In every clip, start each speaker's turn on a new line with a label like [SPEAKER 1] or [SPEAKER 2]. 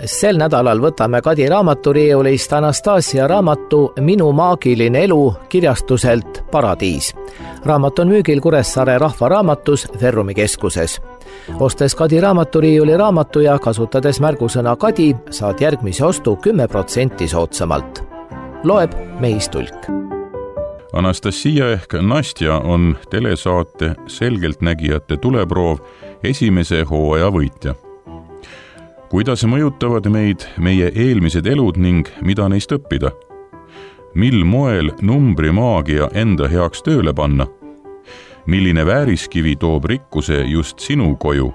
[SPEAKER 1] Sel nädalal võtame Kadi raamaturiiulist Anastasia raamatu Minu maagiline elu kirjastuselt Paradiis. Raamat on müügil Kuressaare Rahvaraamatus Ferrumi keskuses. Ostes Kadi raamaturiiuli raamatu ja kasutades märgusõna Kadi, saad järgmise ostu 10% soodsamalt. Loeb Meis Tulk.
[SPEAKER 2] Anastasia ehk Nastja on telesaate Selgeltnägijate tuleproov esimese hooaja võitja. Kuidas mõjutavad meid meie eelmised elud ning mida neist õppida? Mil moel numbrimaagia enda heaks tööle panna? Milline vääriskivi toob rikkuse just sinu koju?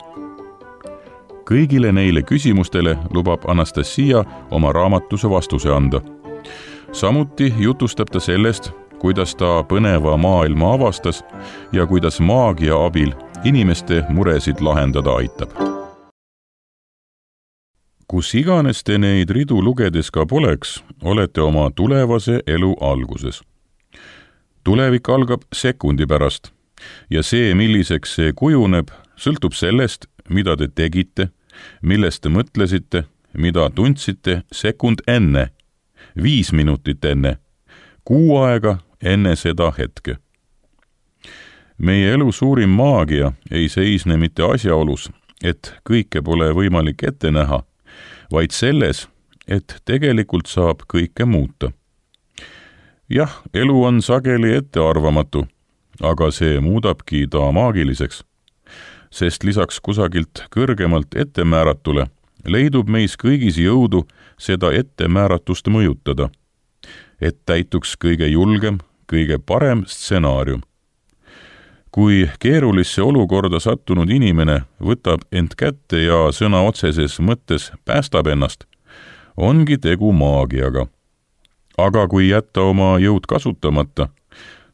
[SPEAKER 2] Kõigile neile küsimustele lubab Anastasia oma raamatus vastuse anda. Samuti jutustab ta sellest, kuidas ta põneva maailma avastas ja kuidas maagia abil inimeste muresid lahendada aitab. Kus iganes te neid ridu lugedes ka poleks, olete oma tulevase elu alguses. Tulevik algab sekundi pärast ja see, milliseks see kujuneb, sõltub sellest, mida te tegite, millest te mõtlesite, mida tundsite sekund enne, 5 minutit enne, 6 aega enne seda hetke. Meie elu suurim maagia ei seisne mitte asjaolus, et kõike pole võimalik ette näha, vaid selles, et tegelikult saab kõike muuta. Jah, elu on sageli ettearvamatu, aga see muudabki ta maagiliseks, sest lisaks kusagilt kõrgemalt ettemääratule leidub meis kõigis jõudu seda ettemääratust mõjutada, et täituks kõige julgem, kõige parem stsenaarium. Kui keerulisse olukorda sattunud inimene võtab end kätte ja sõna otseses mõttes päästab ennast, ongi tegu maagiaga. Aga kui jätta oma jõud kasutamata,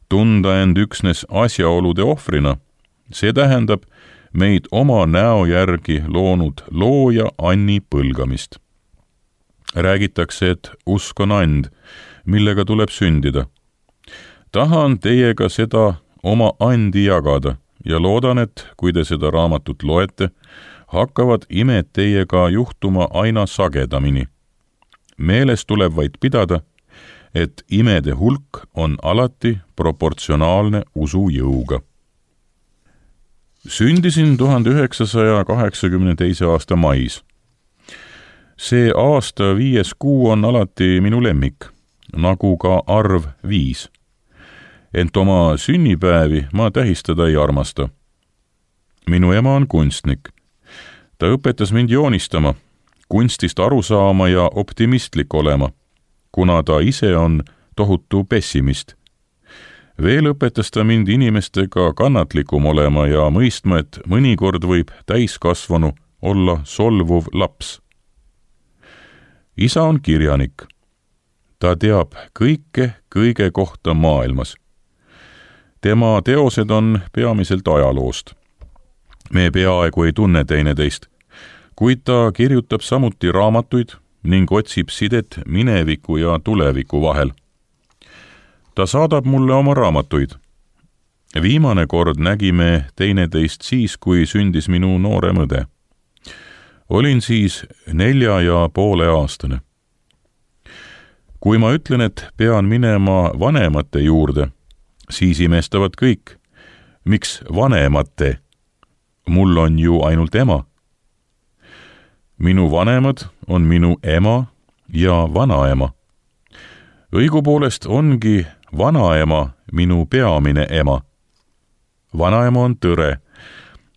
[SPEAKER 2] tunda end üksnes asjaolude ohvrina, see tähendab meid oma näo järgi loonud looja Anni põlgamist. Räägitakse, et usk on and, millega tuleb sündida. Tahan teiega seda oma andi jagada ja loodan, et kui te seda raamatut loete, hakkavad imed teiega juhtuma aina sagedamini. Meeles tuleb vaid pidada, et imede hulk on alati proportsionaalne usu jõuga. Sündisin 1982. aasta mais. See aasta 5. kuu on alati minu lemmik, nagu ka arv 5. Ent oma sünnipäevi ma tähistada ei armasta. Minu ema on kunstnik. Ta õpetas mind joonistama, kunstist aru saama ja optimistlik olema, kuna ta ise on tohutu pessimist. Veel õpetas ta mind inimestega kannatlikum olema ja mõistma, et mõnikord võib täiskasvanu olla solvuv laps. Isa on kirjanik. Ta teab kõige kohta maailmas. Tema teosed on peamiselt ajaloost. Me peaaegu ei tunne teineteist, kuid ta kirjutab samuti raamatuid ning otsib sidet mineviku ja tuleviku vahel. Ta saadab mulle oma raamatuid. Viimane kord nägime teineteist siis, kui sündis minu noorem õde. Olin siis 4,5-aastane. Kui ma ütlen, et pean minema vanemate juurde, siis imestavad kõik. Miks vanemate? Mul on ju ainult ema. Minu vanemad on minu ema ja vanaema. Õigupoolest ongi vanaema minu peamine ema. Vanaema on tõre,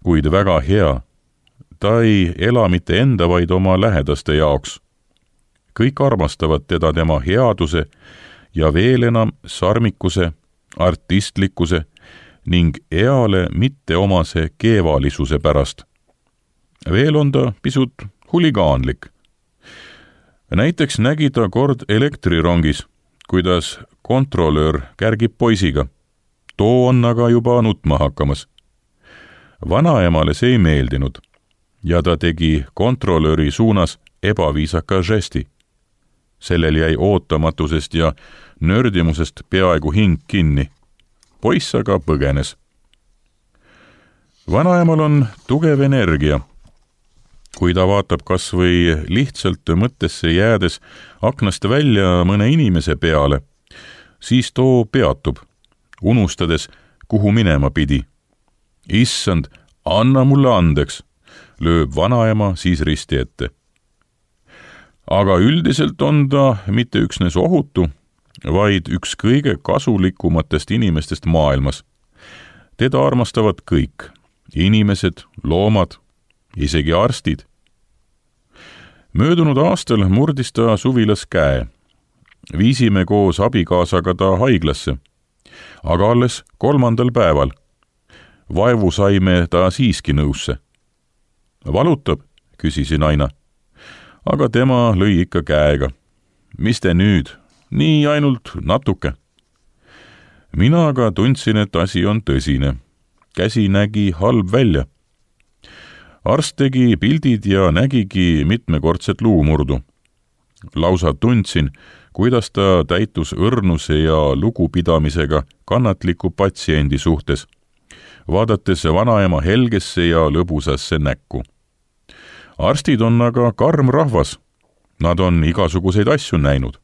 [SPEAKER 2] kuid väga hea. Ta ei ela mitte enda, vaid oma lähedaste jaoks. Kõik armastavad teda tema headuse ja veel enam sarmikuse, artistlikkuse ning eale mitteomase keevalisuse pärast. Veel on ta pisut huligaanlik. Näiteks nägi ta kord elektrirongis, kuidas kontrolöör kärgib poisiga. Too on aga juba nutma hakkamas. Vanaemale see ei meeldinud ja ta tegi kontrolööri suunas ebaviisaka žesti. Sellel jäi ootamatusest ja nördimusest peaaegu hing kinni. Poiss aga põgenes. Vanaemal on tugev energia. kui ta vaatab kas või lihtsalt mõttesse jäädes aknast välja mõne inimese peale, siis too peatub, unustades, kuhu minema pidi. Issand, anna mulle andeks, lööb vanaema siis risti ette. Aga üldiselt on ta mitte üksnes ohutu, vaid üks kõige kasulikumatest inimestest maailmas. Teda armastavad kõik, inimesed, loomad, isegi arstid. Möödunud aastal murdis ta suvilas käe. Viisime koos abikaasaga ta haiglasse, aga alles 3. päeval. Vaevu saime ta siiski nõusse. Valutab, küsisin aina. Aga tema lõi ikka käega. Mis te nüüd? Nii ainult natuke. Mina aga tundsin, et asi on tõsine. Käsi nägi halb välja. Arst tegi pildid ja nägigi mitmekordset luumurdu. Lausa tundsin, kuidas ta täitus õrnuse ja lugupidamisega kannatliku patsiendi suhtes, vaadates vanaema helgesse ja lõbusasse näkku. Arstid on aga karm rahvas. Nad on igasuguseid asju näinud.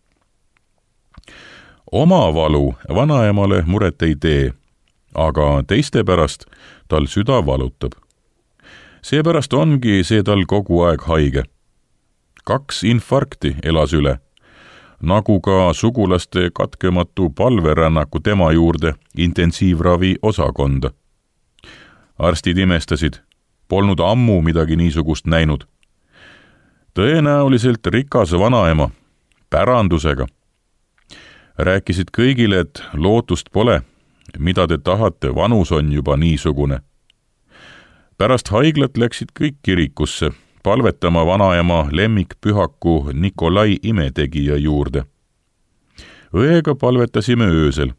[SPEAKER 2] Oma valu vanaemale muret ei tee, aga teiste pärast tal süda valutab. Seepärast ongi see tal kogu aeg haige. 2 infarkti elas üle, nagu ka sugulaste katkematu palverännaku tema juurde intensiivravi osakonda. Arstid imestasid, polnud ammu midagi niisugust näinud. Tõenäoliselt rikas vanaema, pärandusega. Rääkisid kõigile, et lootust pole, mida te tahate, vanus on juba niisugune. Pärast haiglat läksid kõik kirikusse, palvetama vanaema lemmikpühaku Nikolai imetegija juurde. Õega palvetasime öösel,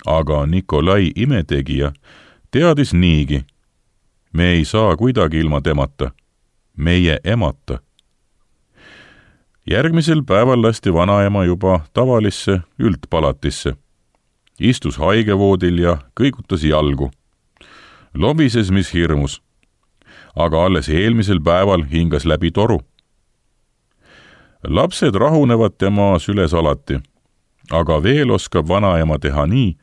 [SPEAKER 2] aga Nikolai imetegija teadis niigi. Me ei saa kuidagi ilma temata, meie emata. Järgmisel päeval lasti vanaema juba tavalisse üldpalatisse. Istus haigevoodil ja kõigutas jalgu. Lobises mis hirmus, aga alles eelmisel päeval hingas läbi toru. Lapsed rahunevad tema süles alati, aga veel oskab vanaema teha nii,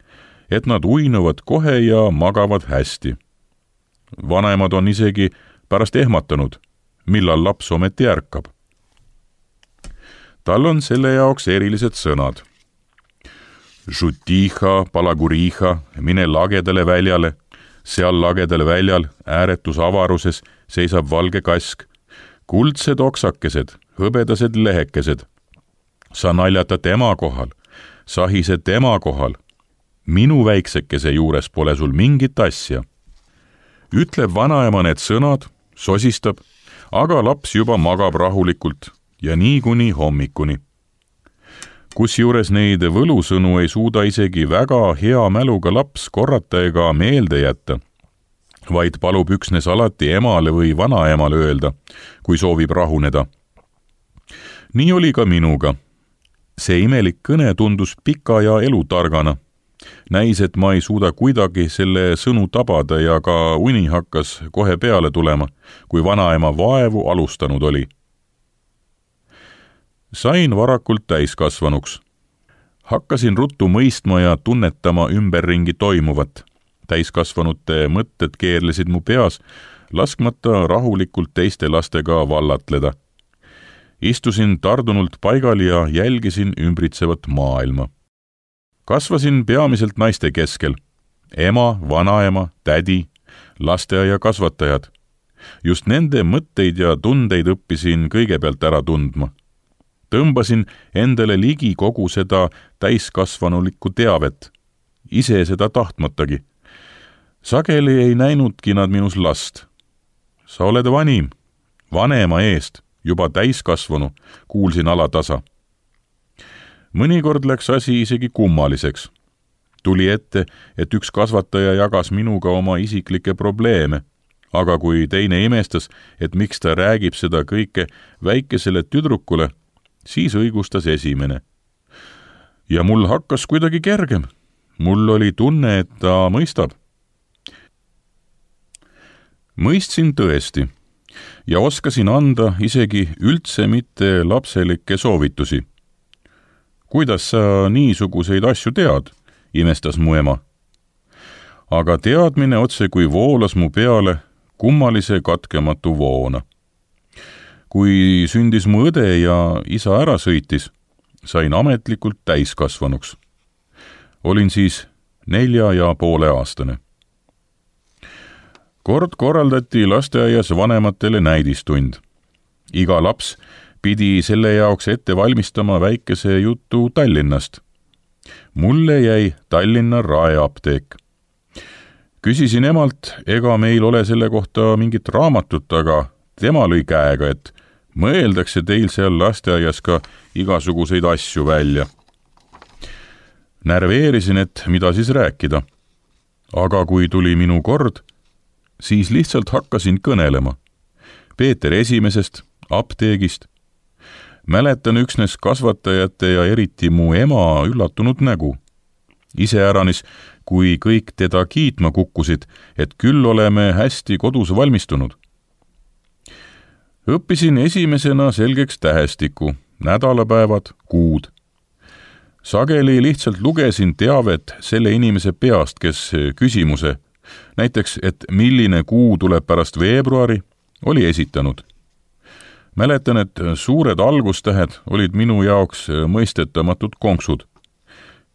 [SPEAKER 2] et nad uinuvad kohe ja magavad hästi. Vanaemad on isegi pärast ehmatanud, millal laps ometi ärkab. Tal on selle jaoks erilised sõnad. Žutiha, palaguriha, mine lagedale väljale, seal lagedal väljal ääretus avaruses seisab valge kask, kuldsed oksakesed, hõbedased lehekesed. Sa naljata tema kohal, sahised tema kohal. Minu väiksekese juures pole sul mingit asja. Ütleb vanaema need sõnad, sosistab, aga laps juba magab rahulikult ja nii kuni hommikuni. Kusjuures neid võlusõnu ei suuda isegi väga hea mäluga laps korrata ega meelde jätta, vaid palub üksnes alati emale või vanaemale öelda, kui soovib rahuneda. Nii oli ka minuga. See imelik kõne tundus pika ja elutargana. Näis, et ma ei suuda kuidagi selle sõnu tabada ja ka uni hakkas kohe peale tulema, kui vanaema vaevu alustanud oli. Sain varakult täiskasvanuks. Hakkasin ruttu mõistma ja tunnetama ümberringi toimuvat. Täiskasvanute mõtted keerlesid mu peas, laskmata rahulikult teiste lastega vallatleda. Istusin tardunult paigal ja jälgisin ümbritsevat maailma. Kasvasin peamiselt naiste keskel. Ema, vanaema, tädi, lasteaia kasvatajad. Just nende mõtteid ja tundeid õppisin kõigepealt ära tundma. Tõmbasin endale ligi kogu seda täiskasvanulikku teavet, ise seda tahtmatagi. Sageli ei näinudki nad minus last. Sa oled vanim, vanema eest, juba täiskasvanu, kuulsin alatasa. Mõnikord läks asi isegi kummaliseks. Tuli ette, et üks kasvataja jagas minuga oma isiklikke probleeme, aga kui teine imestas, et miks ta räägib seda kõike väikesele tüdrukule, siis õigustas esimene. Ja mul hakkas kuidagi kergem. Mul oli tunne, et ta mõistab. Mõistsin tõesti. ja oskasin anda isegi üldse mitte lapselikke soovitusi. Kuidas sa niisuguseid asju tead, imestas mu ema. Aga teadmine otse kui voolas mu peale kummalise katkematu voona. Kui sündis mu õde ja isa ära sõitis, sain ametlikult täiskasvanuks. Olin siis 4,5-aastane. Kord korraldati lasteaias vanematele näidistund. Iga laps pidi selle jaoks ette valmistama väikese jutu Tallinnast. Mulle jäi Tallinna Raeapteek. Küsisin emalt, ega meil ole selle kohta mingit raamatut, aga tema lõi käega, et mõeldakse teil seal lasteaias ka igasuguseid asju välja. Närveerisin, et mida siis rääkida. Aga kui tuli minu kord, siis lihtsalt hakkasin kõnelema. Peeter Esimesest, apteegist. Mäletan üksnes kasvatajate ja eriti mu ema üllatunud nägu. Iseäranis, kui kõik teda kiitma kukkusid, et küll oleme hästi kodus valmistunud. Õppisin esimesena selgeks tähestiku, nädalapäevad, kuud. Sageli lihtsalt lugesin teavet selle inimese peast, kes küsimuse, näiteks, et milline kuu tuleb pärast veebruari, oli esitanud. Mäletan, et suured algustähed olid minu jaoks mõistetamatud konksud.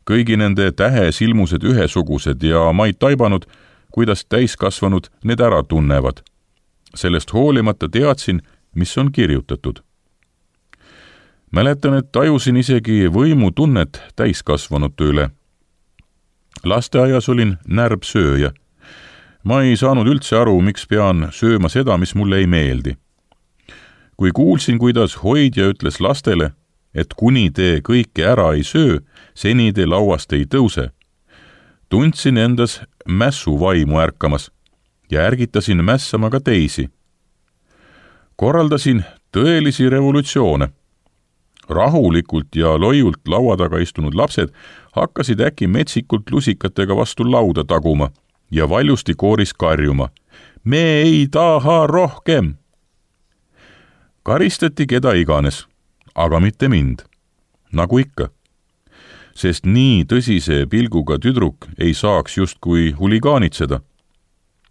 [SPEAKER 2] Kõigi nende tähesilmused ühesugused ja ma ei taibanud, kuidas täiskasvanud need ära tunnevad. Sellest hoolimata teadsin, mis on kirjutatud. Mäletan, et tajusin isegi võimutunnet täiskasvanute üle. Lasteaias olin närbsööja. Ma ei saanud üldse aru, miks pean sööma seda, mis mulle ei meeldi. Kui kuulsin, kuidas hoidja ütles lastele, et kuni te kõike ära ei söö, seni te lauast ei tõuse, tundsin endas mässu vaimu ärkamas ja ärgitasin mässama ka teisi. Korraldasin tõelisi revolutsioone. Rahulikult ja loiult laua taga istunud lapsed hakkasid äkki metsikult lusikatega vastu lauda taguma ja valjusti kooris karjuma. Me ei taha rohkem! Karistati keda iganes, aga mitte mind, nagu ikka. Sest nii tõsise pilguga tüdruk ei saaks justkui huligaanitseda.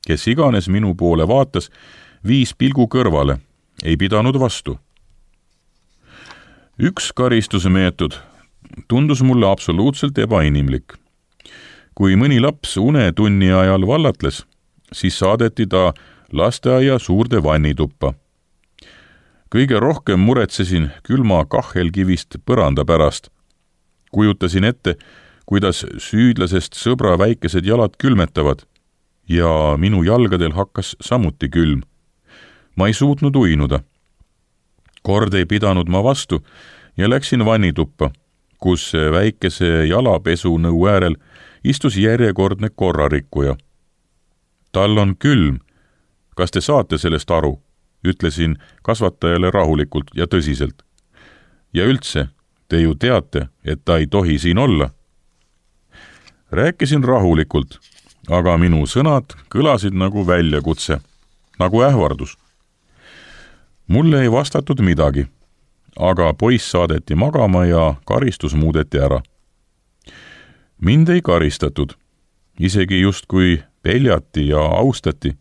[SPEAKER 2] Kes iganes minu poole vaatas, viis pilgu kõrvale, ei pidanud vastu. Üks karistuse meetod tundus mulle absoluutselt ebainimlik. Kui mõni laps unetunni ajal vallatles, siis saadeti ta lasteaia suurde vannituppa. Kõige rohkem muretsesin külma kahelkivist põranda pärast. Kujutasin ette, kuidas süüdlasest sõbra väikesed jalad külmetavad ja minu jalgadel hakkas samuti külm. Ma ei suutnud uinuda. Kord ei pidanud ma vastu ja läksin vannituppa, kus väikese jalapesu nõu äärel istus järjekordne korrarikkuja. Tal on külm. Kas te saate sellest aru? Ütlesin kasvatajale rahulikult ja tõsiselt. Ja üldse, te ju teate, et ta ei tohi siin olla. Rääkisin rahulikult, aga minu sõnad kõlasid nagu väljakutse, nagu ähvardus. Mulle ei vastatud midagi, aga poiss saadeti magama ja karistus muudeti ära. Mind ei karistatud, isegi justkui peljati ja austati,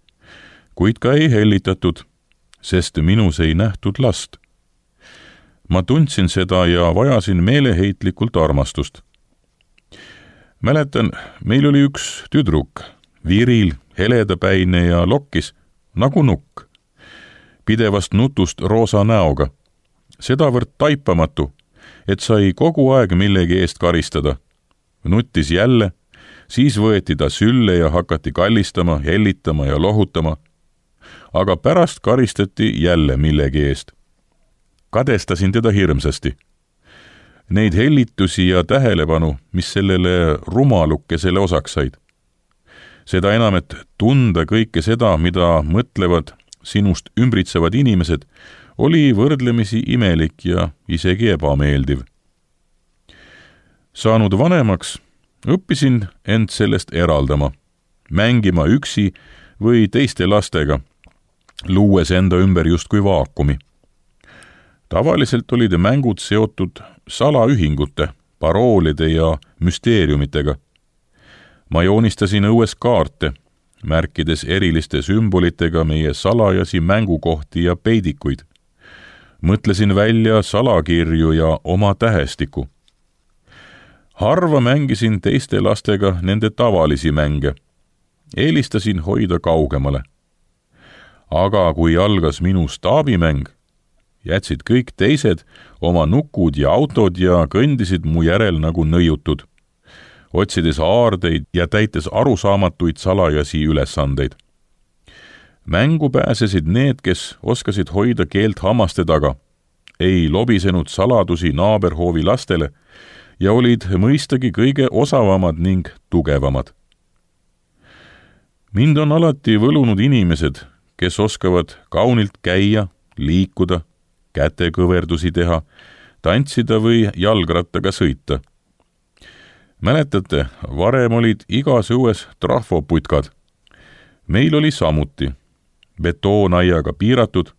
[SPEAKER 2] kuid ka ei hellitatud, sest minus ei nähtud last. Ma tundsin seda ja vajasin meeleheitlikult armastust. Mäletan, meil oli üks tüdruk, viril, heledapäine ja lokkis, nagu nukk. Pidevast nutust roosa näoga. Sedavõrd taipamatu, et sai kogu aeg millegi eest karistada. Nuttis jälle, siis võeti ta sülle ja hakati kallistama, hellitama ja lohutama. Aga pärast karistati jälle millegi eest. Kadestasin teda hirmsasti. Neid hellitusi ja tähelepanu, mis sellele rumalukesele osaks said. Seda enam, et tunda kõike seda, mida mõtlevad sinust ümbritsevad inimesed, oli võrdlemisi imelik ja isegi ebameeldiv. Saanud vanemaks, õppisin end sellest eraldama, mängima üksi või teiste lastega, luues enda ümber justkui vaakumi. Tavaliselt olid mängud seotud salaühingute, paroolide ja müsteeriumitega. Ma joonistasin õues kaarte, märkides eriliste sümbolitega meie salajasi mängukohti ja peidikuid. Mõtlesin välja salakirju ja oma tähestiku. Harva mängisin teiste lastega nende tavalisi mänge. Eelistasin hoida kaugemale. Aga kui algas minu staabimäng, jätsid kõik teised oma nukud ja autod ja kõndisid mu järel nagu nõiutud, otsides aardeid ja täites arusaamatuid salajasi ülesandeid. Mängu pääsesid need, kes oskasid hoida keelt hammaste taga, ei lobisenud saladusi naaberhoovi lastele ja olid mõistagi kõige osavamad ning tugevamad. Mind on alati võlunud inimesed, kes oskavad kaunilt käia, liikuda, kätekõverdusi teha, tantsida või jalgrattaga sõita. Mäletate, varem olid igas õues trahvoputkad. Meil oli samuti betoonaiaga piiratud,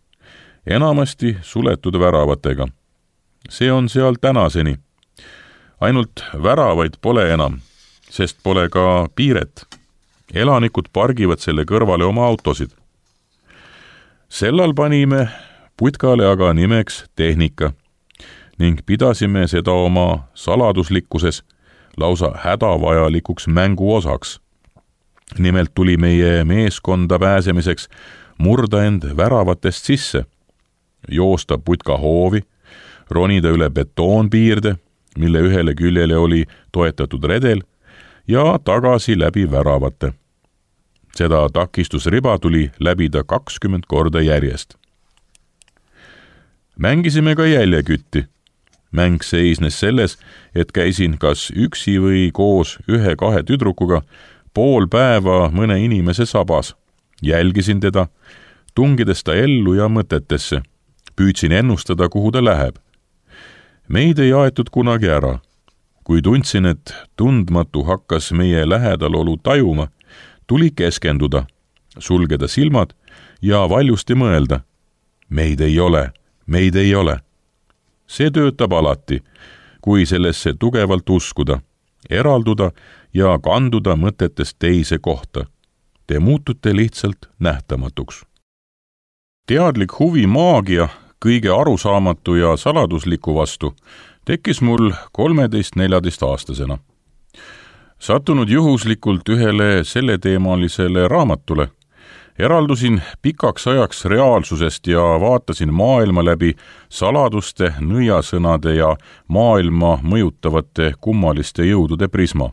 [SPEAKER 2] enamasti suletud väravatega. See on seal tänaseni. Ainult väravaid pole enam, sest pole ka piiret. Elanikud pargivad selle kõrvale oma autosid. Sellal panime putkale aga nimeks tehnika ning pidasime seda oma saladuslikkuses lausa hädavajalikuks mängu osaks. Nimelt tuli meie meeskonda pääsemiseks murda end väravatest sisse, joosta putka hoovi, ronida üle betoonpiirde, mille ühele küljele oli toetatud redel, ja tagasi läbi väravate. Seda takistusriba tuli läbida 20 korda järjest. Mängisime ka jäljekütti. Mäng seisnes selles, et käisin kas üksi või koos 1-2 tüdrukuga pool päeva mõne inimese sabas. Jälgisin teda, tungides ta ellu ja mõtetesse. Püüdsin ennustada, kuhu ta läheb. Meid ei aetud kunagi ära. Kui tundsin, et tundmatu hakkas meie lähedalolu tajuma, tuli keskenduda, sulgeda silmad ja valjusti mõelda. Meid ei ole, meid ei ole. See töötab alati, kui sellesse tugevalt uskuda, eralduda ja kanduda mõtetest teise kohta. Te muutute lihtsalt nähtamatuks. Teadlik huvi maagia, kõige arusaamatu ja saladusliku vastu, tekkis mul 13-14-aastasena. Sattunud juhuslikult ühele selleteemalisele raamatule, eraldusin pikaks ajaks reaalsusest ja vaatasin maailma läbi saladuste, nõiasõnade ja maailma mõjutavate kummaliste jõudude prisma.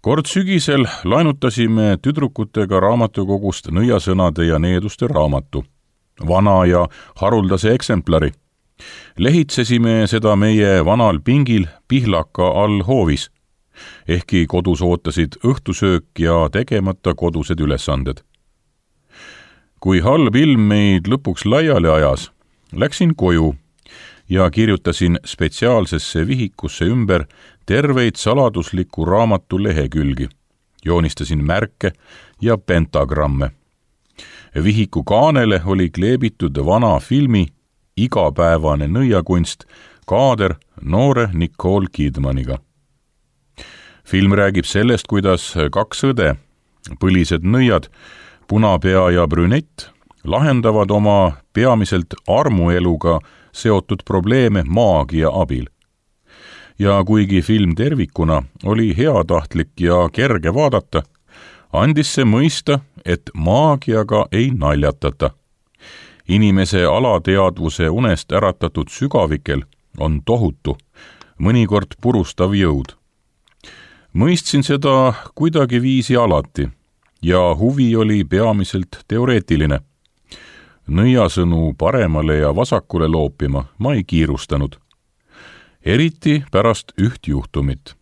[SPEAKER 2] Kord sügisel laenutasime tüdrukutega raamatukogust nõiasõnade ja needuste raamatu, vana ja haruldase eksemplari. Lehitsesime seda meie vanal pingil Pihlaka all hoovis, ehkki kodus ootasid õhtusöök ja tegemata kodused ülesanded. Kui halb ilm meid lõpuks laiali ajas, läksin koju ja kirjutasin spetsiaalsesse vihikusse ümber terveid saladusliku raamatu lehekülgi. Joonistasin märke ja pentagramme. Vihiku kaanele oli kleebitud vana filmi Igapäevane nõiakunst kaader noore Nicole Kidmaniga. Film räägib sellest, kuidas 2 õde, põlised nõiad, punapea ja brünett, lahendavad oma peamiselt armueluga seotud probleeme maagia abil. Ja kuigi film tervikuna oli heatahtlik ja kerge vaadata, andis see mõista, et maagiaga ei naljatata. Inimese alateadvuse unest äratatud sügavikel on tohutu, mõnikord purustav jõud. Mõistsin seda kuidagi viisi alati ja huvi oli peamiselt teoreetiline. Nõiasõnu paremale ja vasakule loopima ma ei kiirustanud. Eriti pärast üht juhtumit.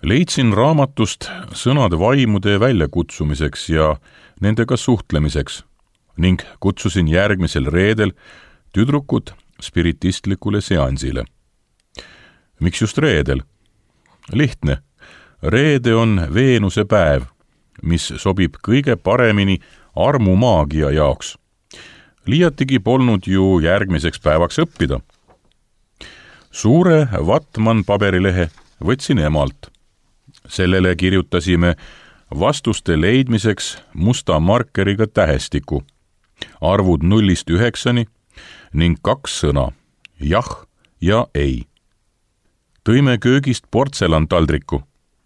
[SPEAKER 2] Leidsin raamatust sõnad vaimude väljakutsumiseks ja nendega suhtlemiseks ning kutsusin järgmisel reedel tüdrukud spiritistlikule seansile. Miks just reedel? Lihtne. Reede on Veenuse päev, mis sobib kõige paremini armumaagia jaoks. Liiatigi polnud ju järgmiseks päevaks õppida. Suure vatman paberilehe võtsin emalt. Sellele kirjutasime vastuste leidmiseks musta markeriga tähestiku, arvud 0–9 ning 2 sõna, jah ja ei. Tõime köögist portselantaldriku.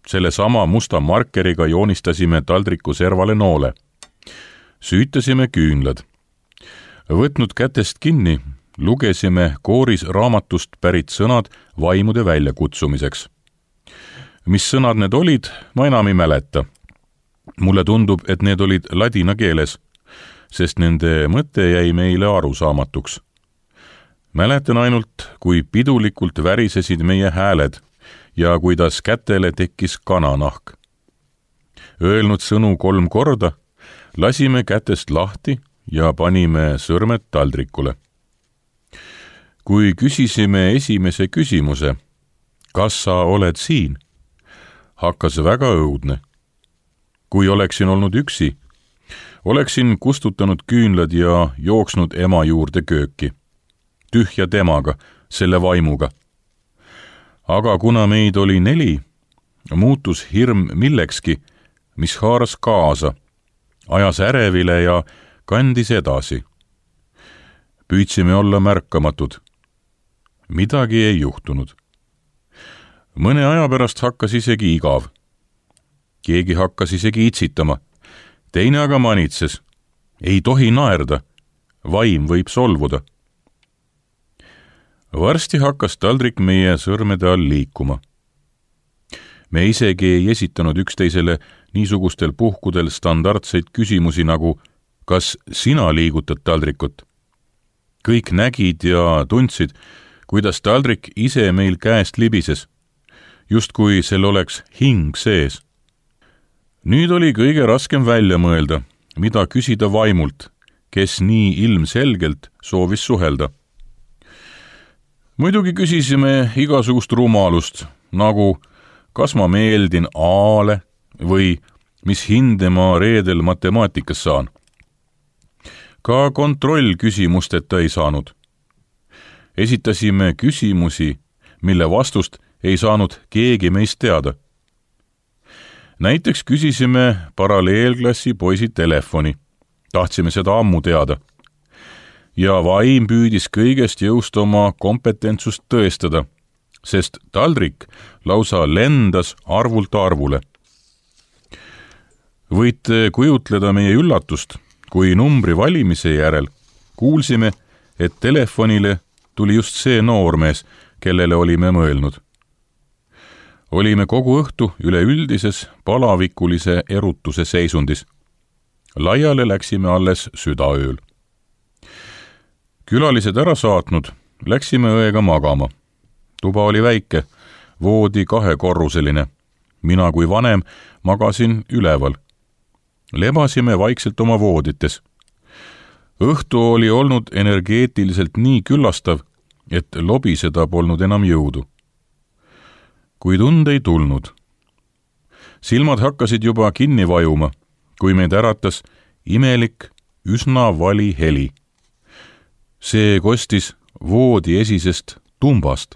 [SPEAKER 2] Selle sama musta markeriga joonistasime taldriku servale noole. Süütasime küünlad. Võtnud kätest kinni, lugesime kooris raamatust pärit sõnad vaimude väljakutsumiseks. Mis sõnad need olid, ma enam ei mäleta. Mulle tundub, et need olid ladina keeles, sest nende mõte jäi meile arusaamatuks. Mäletan ainult, kui pidulikult värisesid meie hääled ja kuidas kätele tekkis kananahk. Öelnud sõnu 3 korda, lasime kätest lahti ja panime sõrmed taldrikule. Kui küsisime esimese küsimuse, kas sa oled siin, hakkas väga õudne. Kui oleksin olnud üksi, oleksin kustutanud küünlad ja jooksnud ema juurde kööki. Tühja temaga, selle vaimuga. Aga kuna meid oli 4, muutus hirm millekski, mis haaras kaasa, ajas ärevile ja kandis edasi. Püüdsime olla märkamatud. Midagi ei juhtunud. Mõne aja pärast hakkas isegi igav. Keegi hakkas isegi itsitama. Teine aga manitses. Ei tohi naerda. Vaim võib solvuda. Varsti hakkas taldrik meie sõrmede all liikuma. Me isegi ei esitanud üksteisele niisugustel puhkudel standardseid küsimusi nagu kas sina liigutad taldrikut? Kõik nägid ja tundsid, kuidas taldrik ise meil käest libises, justkui sel oleks hing sees. Nüüd oli kõige raskem välja mõelda, mida küsida vaimult, kes nii ilmselgelt soovis suhelda. Muidugi küsisime igasugust rumalust, nagu kas ma meeldin A-le või mis hinde ma reedel matemaatikas saan. Ka kontrollküsimusteta ei saanud. Esitasime küsimusi, mille vastust ei saanud keegi meist teada. Näiteks küsisime paralleelklassi poisi telefoni. Tahtsime seda ammu teada. Ja vaim püüdis kõigest jõust oma kompetentsust tõestada, sest taldrik lausa lendas arvult arvule. Võite kujutleda meie üllatust, kui numbri valimise järel kuulsime, et telefonile tuli just see noormees, kellele olime mõelnud. Olime kogu õhtu üleüldises palavikulise erutuse seisundis. Laiale läksime alles südaööl. Külalised ära saatnud, läksime õega magama. Tuba oli väike, voodi 2-korruseline. Mina kui vanem magasin üleval. Lebasime vaikselt oma voodites. Õhtu oli olnud energeetiliselt nii küllastav, et lobiseda polnud enam jõudu. Kuid und ei tulnud. Silmad hakkasid juba kinni vajuma, kui meid äratas imelik, üsna vali heli. See kostis voodi esisest tumbast,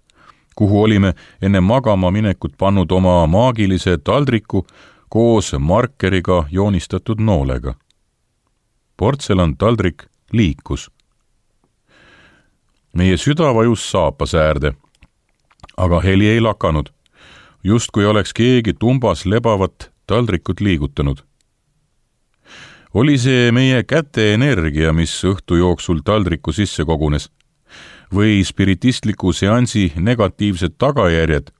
[SPEAKER 2] kuhu olime enne magama minekut pannud oma maagilise taldriku koos markeriga joonistatud noolega. Portselantaldrik liikus. Meie süda vajus saapas äärde, aga heli ei lakanud, justkui oleks keegi tumbas lebavat taldrikut liigutanud. Oli see meie käte energia, mis õhtu jooksul taldriku sisse kogunes, või spiritistliku seansi negatiivsed tagajärjed,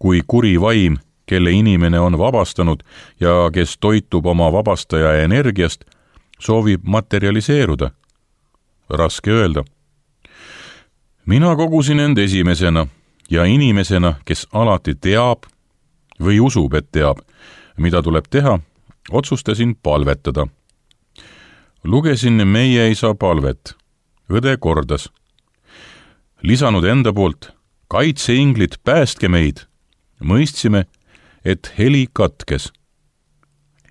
[SPEAKER 2] kui kuri vaim, kelle inimene on vabastanud ja kes toitub oma vabastaja energiast, soovib materialiseeruda. Raske öelda. Mina kogusin end esimesena ja inimesena, kes alati teab või usub, et teab, mida tuleb teha, otsustasin palvetada. Lugesin meie isa palvet. Õde kordas. Lisanud enda poolt, kaitseinglid, päästke meid. Mõistsime, et heli katkes.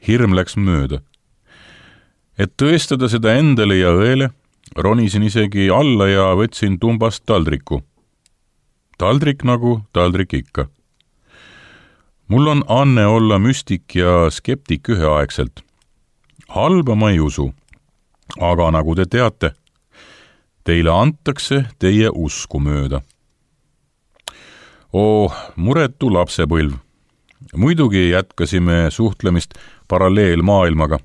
[SPEAKER 2] Hirm läks mööda. Et tõestada seda endale ja õele, ronisin isegi alla ja võtsin tumbast taldriku. Taldrik nagu taldrik ikka. Mul on anne olla müstik ja skeptik üheaegselt. Halba ma ei usu, aga nagu te teate, teile antakse teie usku mööda. Muretu lapsepõlv. Muidugi jätkasime suhtlemist paralleelmaailmaga,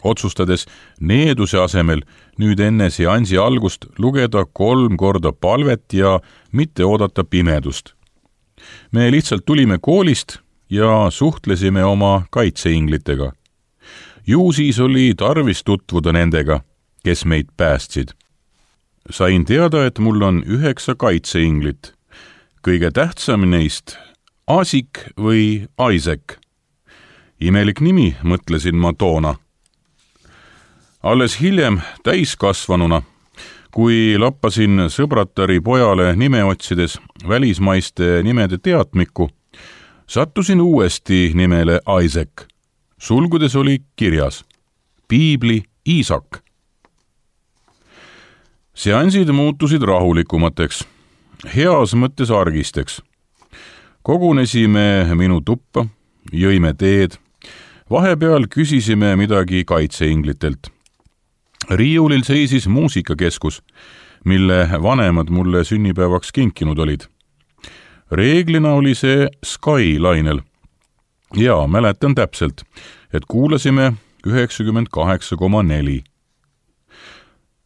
[SPEAKER 2] otsustades needuse asemel nüüd enne seansi algust lugeda 3 korda palvet ja mitte oodata pimedust. Me lihtsalt tulime koolist ja suhtlesime oma kaitseinglitega. Ju siis oli tarvis tutvuda nendega, kes meid päästsid. Sain teada, et mul on 9 kaitseinglit. Kõige tähtsam neist Asik või Isaac. Imelik nimi, mõtlesin ma toona. Alles hiljem täiskasvanuna, kui lappasin sõbratari pojale nime otsides välismaiste nimede teatmikku, sattusin uuesti nimele Isaac. Sulgudes oli kirjas Piibli Iisak. Seansid muutusid rahulikumateks, heas mõttes argisteks. Kogunesime minu tuppa, jõime teed, vahepeal küsisime midagi kaitseinglitelt. Riiulil seisis muusikakeskus, mille vanemad mulle sünnipäevaks kinkinud olid. Reeglina oli see Sky-lainel. Ja mäletan täpselt, et kuulasime 98,4.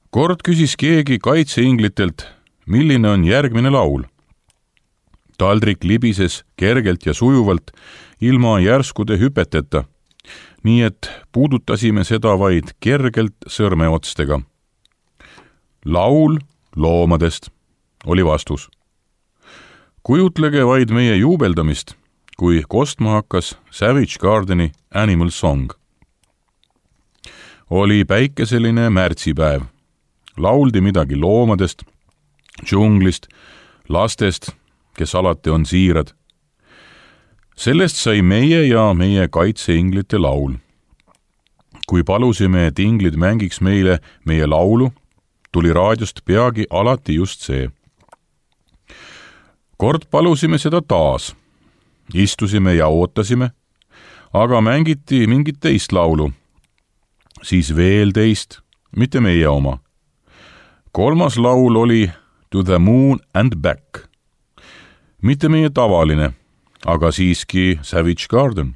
[SPEAKER 2] Kord küsis keegi kaitseinglitelt, milline on järgmine laul. Taldrik libises kergelt ja sujuvalt ilma järskude hüpeteta, nii et puudutasime seda vaid kergelt sõrmeotstega. Laul loomadest, oli vastus. Kujutlege vaid meie juubeldamist, kui kostma hakkas Savage Gardeni Animal Song. Oli päikeseline märtsipäev. Lauldi midagi loomadest, džunglist, lastest, kes alati on siirad. Sellest sai meie ja meie kaitseinglite laul. Kui palusime, et inglid mängiks meile meie laulu, tuli raadiost peagi alati just see. Kord palusime seda taas. Istusime ja ootasime, aga mängiti mingit teist laulu. Siis veel teist, mitte meie oma. 3. laul oli To the Moon and Back. Mitte meie tavaline, aga siiski Savage Garden.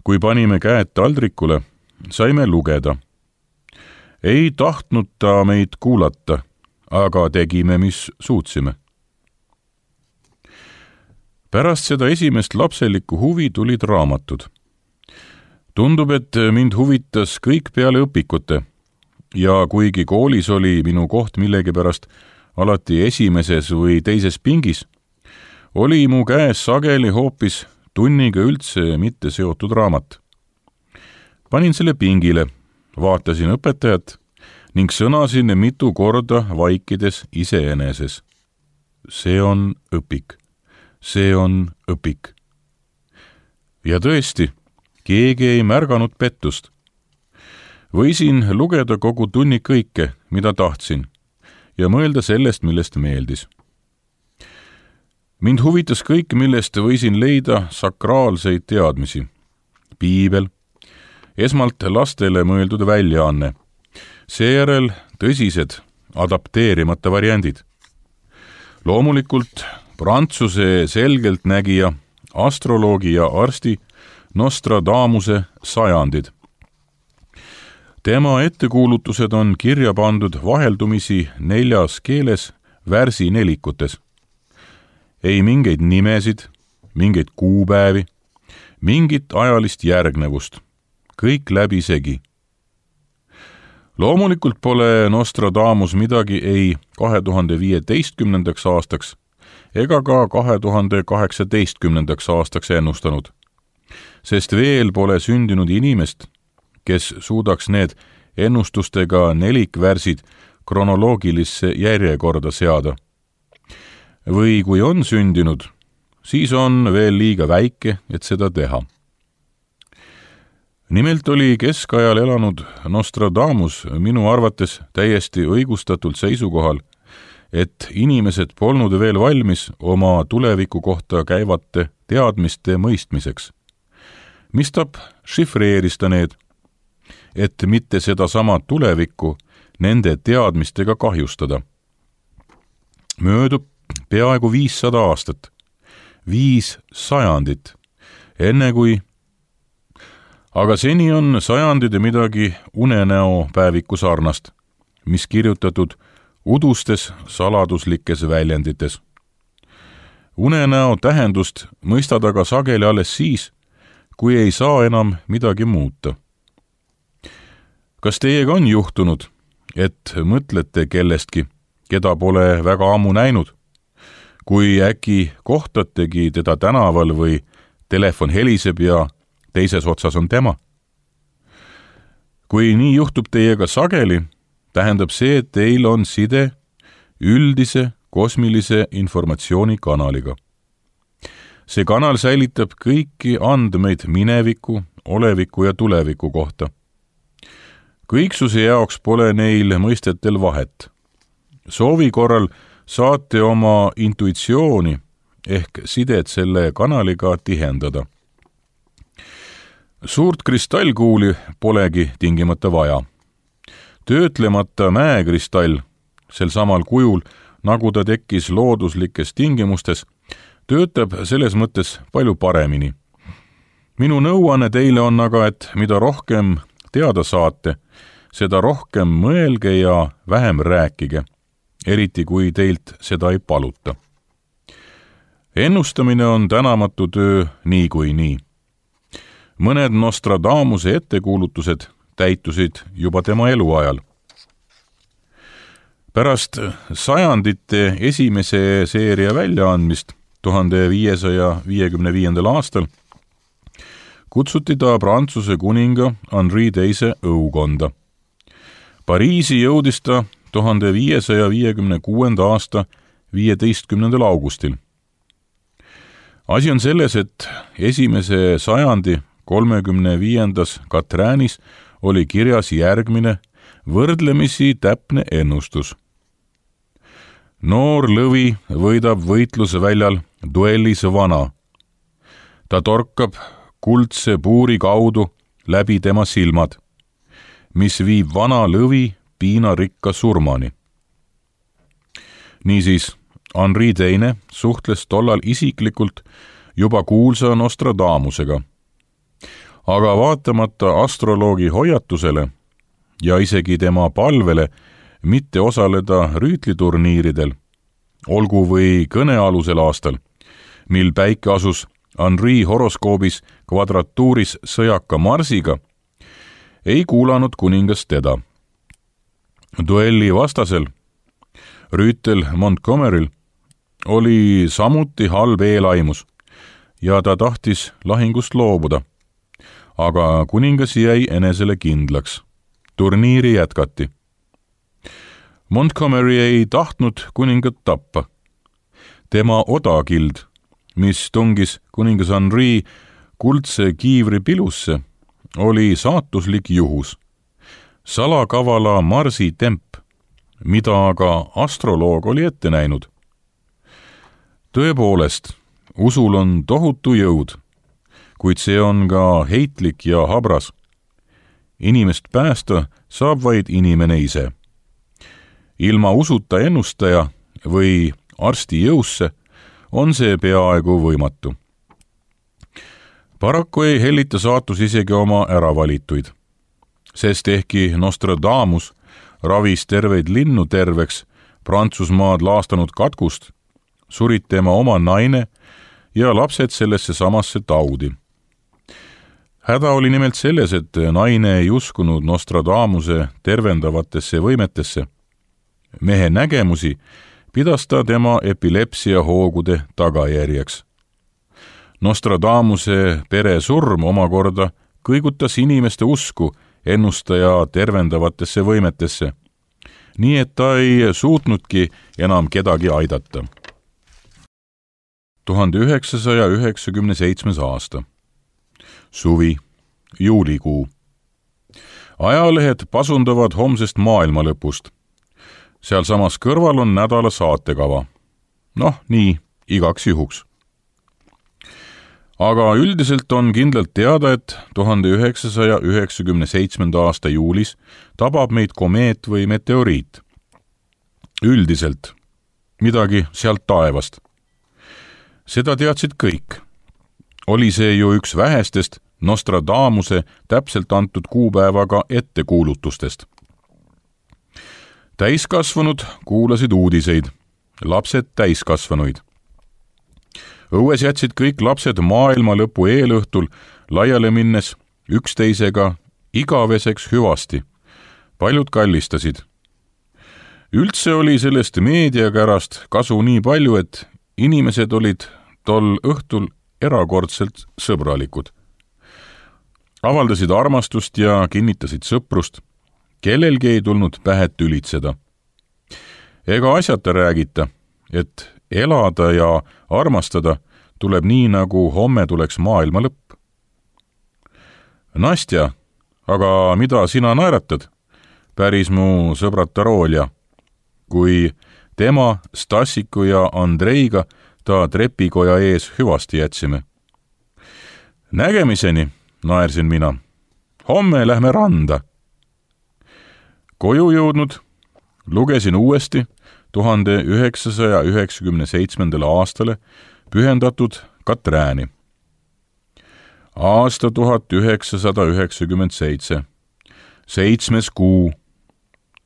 [SPEAKER 2] Kui panime käed taldrikule, saime lugeda. Ei tahtnud ta meid kuulata, aga tegime, mis suutsime. Pärast seda esimest lapselikku huvi tulid raamatud. Tundub, et mind huvitas kõik peale õpikute ja kuigi koolis oli minu koht millegipärast alati esimeses või teises pingis, oli mu käes sageli hoopis tunniga üldse mitte seotud raamat. Panin selle pingile, vaatasin õpetajat ning sõnasin mitu korda vaikides iseeneses. See on õpik. See on õpik. Ja tõesti, keegi ei märganud pettust. Võisin lugeda kogu tunni kõike, mida tahtsin, ja mõelda sellest, millest meeldis. Mind huvitas kõik, millest võisin leida sakraalseid teadmisi. Piibel, esmalt lastele mõeldud väljaanne, seejärel tõsised, adapteerimata variandid. Loomulikult Prantsuse selgeltnägija, astroloogi ja arsti Nostradamuse sajandid. Tema ettekuulutused on kirja pandud vaheldumisi 4 keeles värsinelikutes. Ei mingeid nimesid, mingeid kuupäevi, mingit ajalist järgnevust. Kõik läbisegi. Loomulikult pole Nostradamus midagi ei 2015. aastaks ega ka 2018. aastaks ennustanud, sest veel pole sündinud inimest, kes suudaks need ennustustega nelikvärsid kronoloogilisse järjekorda seada. Või kui on sündinud, siis on veel liiga väike, et seda teha. nimelt oli keskajal elanud Nostradamus minu arvates täiesti õigustatult seisukohal, et inimesed polnud veel valmis oma tuleviku kohta käivate teadmiste mõistmiseks. Mistap šifreeris ta need, et mitte sedasama tulevikku nende teadmistega kahjustada. Möödub peaaegu 500 aastat, 5 sajandit, enne kui aga seni on sajandid ja midagi unenäo päeviku sarnast, mis kirjutatud udustes saladuslikes väljendites. Unenäo tähendust mõistad aga sageli alles siis, kui ei saa enam midagi muuta. Kas teiega on juhtunud, et mõtlete kellestki, keda pole väga ammu näinud, kui äkki kohtategi teda tänaval või telefon heliseb ja teises otsas on tema? Kui nii juhtub teiega sageli, tähendab see, et teil on side üldise kosmilise informatsioonikanaliga. See kanal säilitab kõiki andmeid mineviku, oleviku ja tuleviku kohta. Kõiksuse jaoks pole neil mõistetel vahet. Soovi korral saate oma intuitsiooni ehk sidet selle kanaliga tihendada. Suurt kristallkuuli polegi tingimata vaja. Töötlemata mäekristall, sel samal kujul, nagu ta tekkis looduslikes tingimustes, töötab selles mõttes palju paremini. Minu nõuanne teile on aga, et mida rohkem teada saate, seda rohkem mõelge ja vähem rääkige, eriti kui teilt seda ei paluta. Ennustamine on tänamatu töö niikuinii. Mõned Nostradamuse ettekuulutused täitusid juba tema eluajal. Pärast sajandite esimese seeria väljaandmist 1555. aastal kutsuti ta Prantsuse kuninga Henri II õukonda. Pariisi jõudis ta 1556. aasta 15. augustil. Asi on selles, et esimese sajandi 35. Katräänis oli kirjas järgmine võrdlemisi täpne ennustus. Noor lõvi võidab võitlusväljal duellis vana. Ta torkab kuldse puuri kaudu läbi tema silmad, mis viib vana lõvi piinarikka surmani. Niisiis, Henri II suhtles tollal isiklikult juba kuulsa Nostradamusega. Aga vaatamata astroloogi hoiatusele ja isegi tema palvele mitte osaleda rüütliturniiridel, olgu või kõnealusel aastal, mil päike asus Henri horoskoobis kvadratuuris sõjaka Marsiga, ei kuulanud kuningas teda. Duelli vastasel, rüütel Montgomeryl, oli samuti halb eelaimus ja ta tahtis lahingust loobuda, aga kuningas jäi enesele kindlaks. Turniiri jätkati. Montgomery ei tahtnud kuningat tappa. Tema odakild, mis tungis kuningas Henri kuldse kiivri pilusse, oli saatuslik juhus. Salakavala Marsi temp, mida aga astroloog oli ette näinud. Tõepoolest, usul on tohutu jõud, kuid see on ka heitlik ja habras. Inimest päästa saab vaid inimene ise. Ilma usuta ennustaja või arsti jõusse on see peaaegu võimatu. Paraku ei hellita saatus isegi oma äravalituid, sest ehkki Nostradamus ravis terveid linnu terveks Prantsusmaad laastanud katkust, surid tema oma naine ja lapsed sellesse samasse taudi. Häda oli nimelt selles, et naine ei uskunud Nostradamuse tervendavatesse võimetesse. Mehe nägemusi pidas ta tema epilepsia hoogude tagajärjeks. Nostradamuse pere surm omakorda kõigutas inimeste usku ennustaja tervendavatesse võimetesse, nii et ta ei suutnudki enam kedagi aidata. 1997. aasta. Suvi, juulikuu. Ajalehed pasundavad homsest maailmalõpust. Sealsamas kõrval on nädala saatekava. Nii, igaks juhuks. Aga üldiselt on kindlalt teada, et 1997. aasta juulis tabab meid komeet või meteoriit. Üldiselt. Midagi sealt taevast. Seda teadsid kõik. Oli see ju üks vähestest Nostradamuse täpselt antud kuupäevaga ettekuulutustest. Täiskasvanud kuulasid uudiseid, lapsed täiskasvanuid. Õues jätsid kõik lapsed maailma lõpu eelõhtul laiale minnes üksteisega igaveseks hüvasti. Paljud kallistasid. Üldse oli sellest meediakärast kasu nii palju, et inimesed olid tol õhtul erakordselt sõbralikud. Avaldasid armastust ja kinnitasid sõprust. Kellelgi ei tulnud pähe tülitseda. Ega asjata räägita, et elada ja armastada tuleb nii, nagu homme tuleks maailma lõpp. Nastja, aga mida sina naeratad? Päris mu sõbrad Tarolja. Kui tema, Stassiku ja Andreiga ta trepikoja ees hüvasti jätsime. Nägemiseni, naersin mina. Homme lähme randa. Koju jõudnud, lugesin uuesti 1997. aastale pühendatud Katrääni. Aasta 1997. 7. kuu.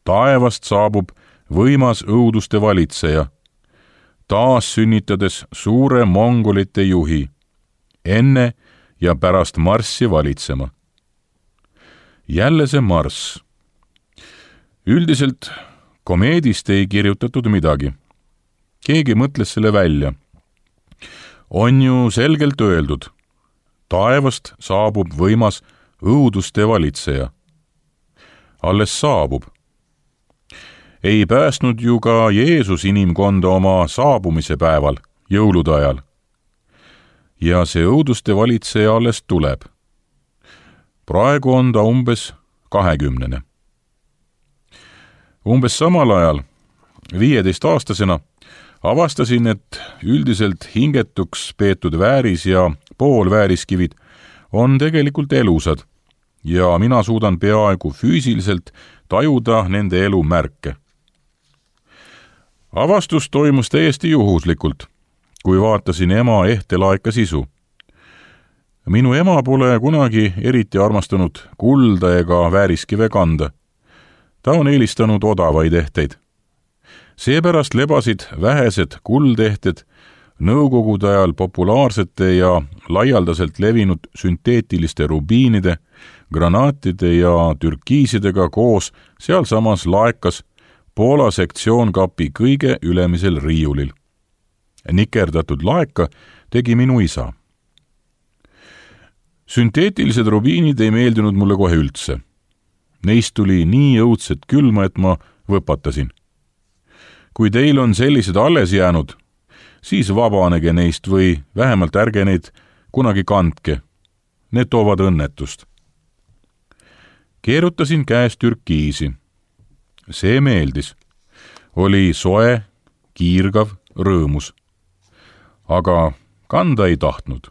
[SPEAKER 2] Taevast saabub võimas õuduste valitseja, taas sünnitades suure mongolite juhi, enne ja pärast marssi valitsema. Jälle see marss. Üldiselt komeedist ei kirjutatud midagi. Keegi mõtles selle välja. On ju selgelt öeldud, taevast saabub võimas õuduste valitseja. Alles saabub. Ei päästnud ju ka Jeesus inimkonda oma saabumise päeval, jõulude ajal. Ja see õuduste valitseja alles tuleb. Praegu on ta umbes 20. Umbes samal ajal, 15-aastasena, avastasin, et üldiselt hingetuks peetud vääris ja poolvääriskivid on tegelikult elusad ja mina suudan peaaegu füüsiliselt tajuda nende elu märke. Avastus toimus täiesti juhuslikult, kui vaatasin ema ehtelaeka sisu. Minu ema pole kunagi eriti armastanud kulda ega vääriskive kanda. Ta on eelistanud odavaid ehteid. Seepärast lebasid vähesed kuldehted nõukogude ajal populaarsete ja laialdaselt levinud sünteetiliste rubiinide, granaatide ja türkiisidega koos sealsamas laekas Poola sektsioonkapi kõige ülemisel riiulil. Nikerdatud laeka tegi minu isa. Sünteetilised rubiinid ei meeldinud mulle kohe üldse. Neist tuli nii õudset külma, et ma võpatasin. Kui teil on sellised alles jäänud, siis vabanege neist või vähemalt ärge neid kunagi kandke. Need toovad õnnetust. Keerutasin käes türkiisi. See meeldis. Oli soe, kiirgav, rõõmus. Aga kanda ei tahtnud.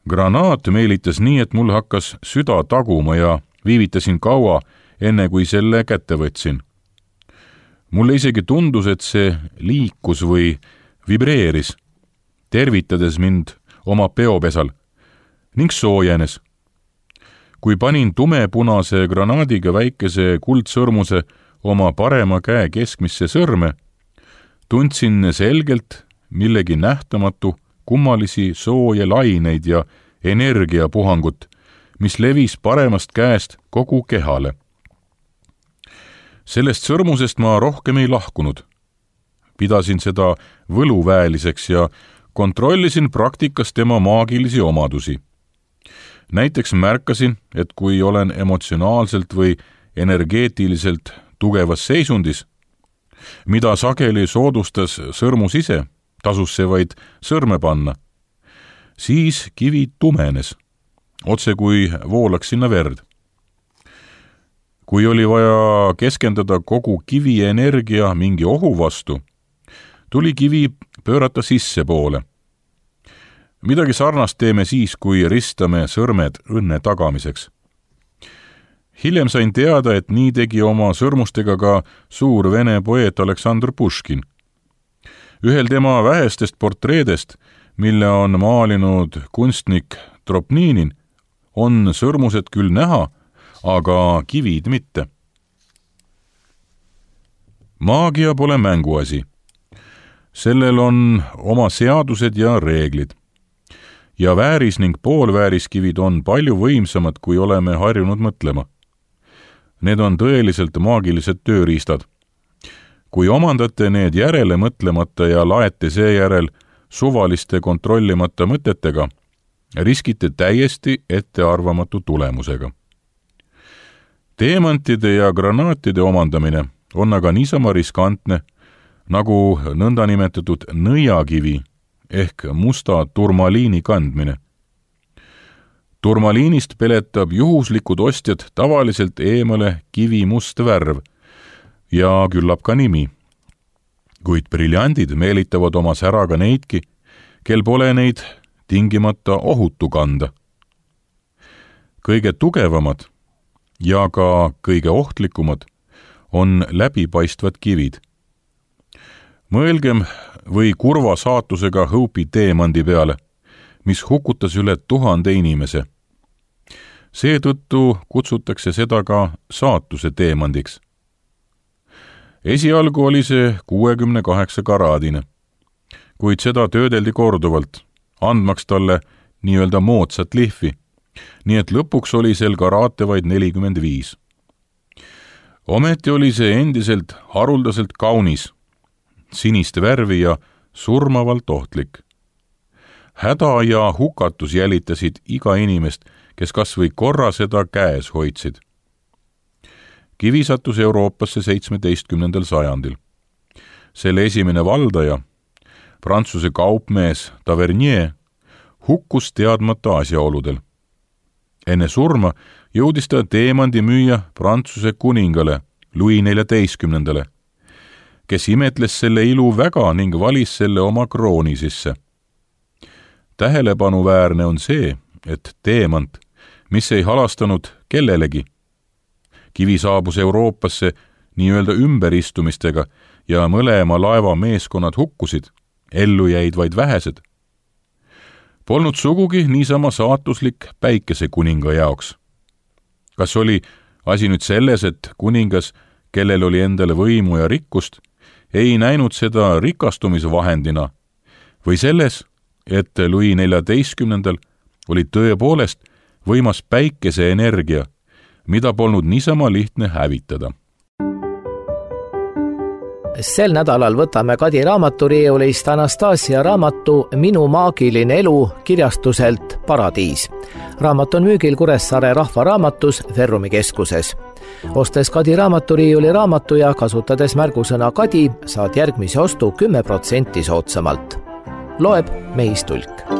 [SPEAKER 2] Granaat meelitas nii, et mul hakkas süda taguma ja viivitasin kaua, enne kui selle kätte võtsin. Mulle isegi tundus, et see liikus või vibreeris, tervitades mind oma peopesal ning soojenes. Kui panin tumepunase granaadiga väikese kuldsõrmuse oma parema käe keskmisse sõrme, tundsin selgelt millegi nähtamatu kummalisi sooje laineid ja energiapuhangut, mis levis paremast käest kogu kehale. Sellest sõrmusest ma rohkem ei lahkunud. Pidasin seda võluväeliseks ja kontrollisin praktikas tema maagilisi omadusi. Näiteks märkasin, et kui olen emotsionaalselt või energeetiliselt tugevas seisundis, mida sageli soodustas sõrmus ise, tasus see vaid sõrme panna, siis kivi tumenes otse kui voolaks sinna verd. Kui oli vaja keskenduda kogu kivi energia mingi ohu vastu, tuli kivi pöörata sissepoole. Midagi sarnast teeme siis, kui ristame sõrmed õnne tagamiseks. Hiljem sain teada, et nii tegi oma sõrmustega ka suur vene poeet Aleksandr Puškin. Ühel tema vähestest portreedest, mille on maalinud kunstnik Tropninin, on sõrmused küll näha, aga kivid mitte. Maagia pole mänguasi. Sellel on oma seadused ja reeglid. Ja vääris ning poolvääriskivid on palju võimsamad, kui oleme harjunud mõtlema. Need on tõeliselt maagilised tööriistad. Kui omandate need järele mõtlemata ja laete seejärel suvaliste kontrollimata mõtetega, riskite täiesti ettearvamatu tulemusega. Teemantide ja granaatide omandamine on aga niisama riskantne, nagu nõndanimetatud nõiakivi ehk musta turmaliini kandmine. Turmaliinist peletab juhuslikud ostjad tavaliselt eemale kivi must värv ja küllap ka nimi. Kuid briljandid meelitavad oma säraga neidki, kel pole neid tingimata ohutu kanda. Kõige tugevamad ja ka kõige ohtlikumad on läbipaistvad kivid. Mõelgem või kurva saatusega Hope'i teemandi peale, mis hukutas üle 1000 inimese. Seetõttu kutsutakse seda ka saatuse teemandiks. Esialgu oli see 68 karaadine, kuid seda töödeldi korduvalt, andmaks talle nii-öelda moodsat lihvi, nii et lõpuks oli sel karaate vaid 45. Ometi oli see endiselt haruldaselt kaunis, sinist värvi ja surmavalt ohtlik. Häda ja hukatus jälitasid iga inimest, kes kas või korra seda käes hoidsid. Kivi sattus Euroopasse 17. sajandil. Selle esimene valdaja, Prantsuse kaupmees Tavernier, hukkus teadmata asjaoludel. Enne surma jõudis ta teemandi müüa Prantsuse kuningale Louis XIV, kes imetles selle ilu väga ning valis selle oma krooni sisse. Tähelepanuväärne on see, et teemant, mis ei halastanud kellelegi. Kivi saabus Euroopasse nii-öelda ümberistumistega ja mõlema laeva meeskonnad hukkusid, ellu jäid vaid vähesed. Polnud sugugi niisama saatuslik päikesekuninga jaoks. Kas oli asi nüüd selles, et kuningas, kellel oli endale võimu ja rikkust, ei näinud seda rikastumisvahendina, või selles, et Louis XIV oli tõepoolest võimas päikeseenergia, mida polnud niisama lihtne hävitada.
[SPEAKER 1] Sel nädalal võtame Kadi raamaturiiulist Anastasia raamatu Minu maagiline elu kirjastuselt Paradiis. Raamat on müügil Kuressaare Rahvaraamatus Ferrumi keskuses. Ostes Kadi raamaturiiuli raamatu ja kasutades märgusõna Kadi, saad järgmise ostu 10% soodsamalt. Loeb Meis Tulk.